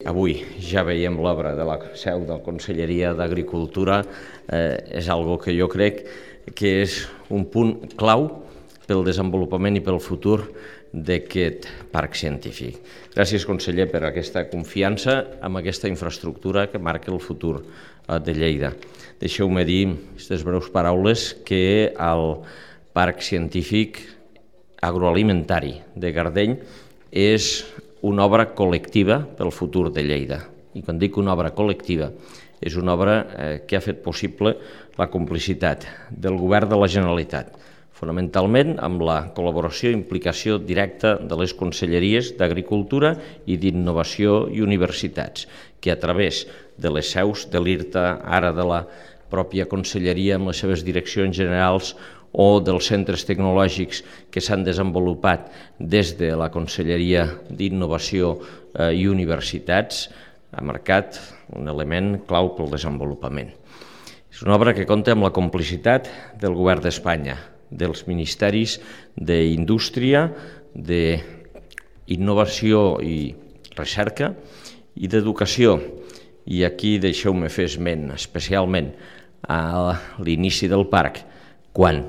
avui ja veiem l'obra de la seu de la Conselleria d'Agricultura és algo que jo crec que és un punt clau pel desenvolupament i pel futur d'aquest parc científic. Gràcies, conseller, per aquesta confiança amb aquesta infraestructura que marca el futur de Lleida. Deixeu-me dir, aquestes breus paraules, que el parc científic agroalimentari de Gardeny és una obra col·lectiva pel futur de Lleida. I quan dic una obra col·lectiva, és una obra que ha fet possible la complicitat del Govern de la Generalitat, fonamentalment amb la col·laboració i implicació directa de les conselleries d'Agricultura i d'Innovació i Universitats, que a través de les seus de l'IRTA, ara de la pròpia conselleria amb les seves direccions generals o dels centres tecnològics que s'han desenvolupat des de la Conselleria d'Innovació i Universitats, ha marcat un element clau pel desenvolupament. És una obra que compta amb la complicitat del Govern d'Espanya, dels ministeris d'Indústria, d'Innovació i Recerca i d'Educació. I aquí deixeu-me fer esment especialment a l'inici del parc, quan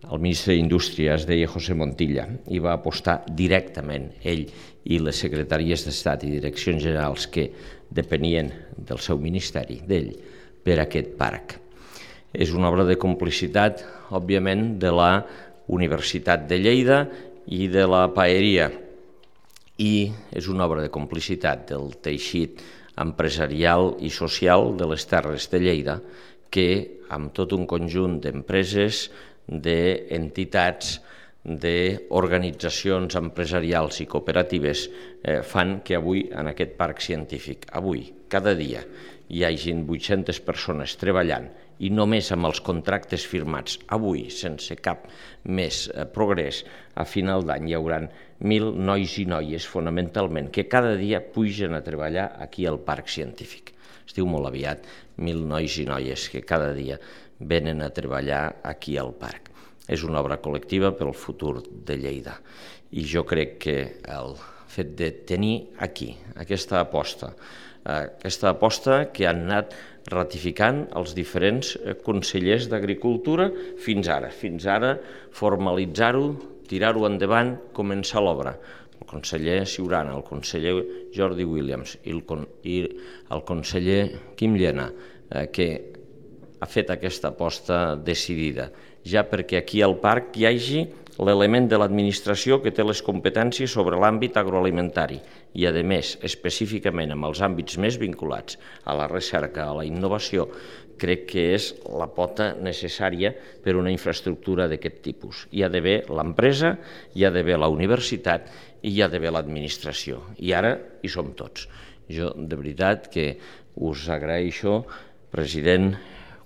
el ministre d'Indústria es deia José Montilla i va apostar directament, ell i les secretaries d'Estat i direccions generals que depenien del seu ministeri, d'ell, per aquest parc. És una obra de complicitat, òbviament, de la Universitat de Lleida i de la Paeria, i és una obra de complicitat del teixit empresarial i social de les Terres de Lleida, que amb tot un conjunt d'empreses, d'entitats, d'organitzacions empresarials i cooperatives fan que avui en aquest parc científic, avui, cada dia, hi hagin 800 persones treballant i només amb els contractes firmats avui, sense cap més progrés, a final d'any hi haurà 1.000 nois i noies, fonamentalment, que cada dia pugen a treballar aquí al parc científic. Es diu molt aviat, 1.000 nois i noies que cada dia venen a treballar aquí al parc. És una obra col·lectiva pel futur de Lleida. I jo crec que el fet de tenir aquí aquesta aposta que han anat ratificant els diferents consellers d'Agricultura fins ara, formalitzar-ho, tirar-ho endavant, començar l'obra. El conseller Ciurana, el conseller Jordi Williams i el conseller Quim Llena, que ha fet aquesta aposta decidida, ja perquè aquí al parc hi hagi l'element de l'administració que té les competències sobre l'àmbit agroalimentari i, a més, específicament amb els àmbits més vinculats a la recerca, a la innovació, crec que és la pota necessària per a una infraestructura d'aquest tipus. Hi ha d'haver l'empresa, hi ha d'haver la universitat i hi ha d'haver l'administració. I ara hi som tots. Jo, de veritat, que us agraeixo, president,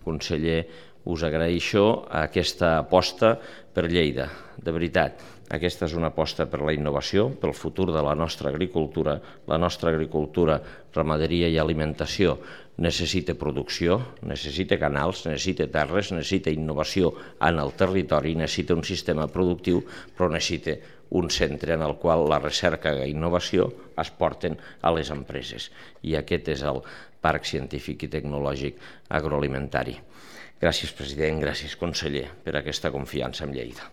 conseller, us agraeixo aquesta aposta per Lleida. De veritat, aquesta és una aposta per la innovació, pel futur de la nostra agricultura. La nostra agricultura, ramaderia i alimentació necessita producció, necessita canals, necessita terres, necessita innovació en el territori, necessita un sistema productiu, però necessita un centre en el qual la recerca i innovació es porten a les empreses. I aquest és el Parc Científic i Tecnològic Agroalimentari. Gràcies, president, gràcies, conseller, per aquesta confiança en Lleida.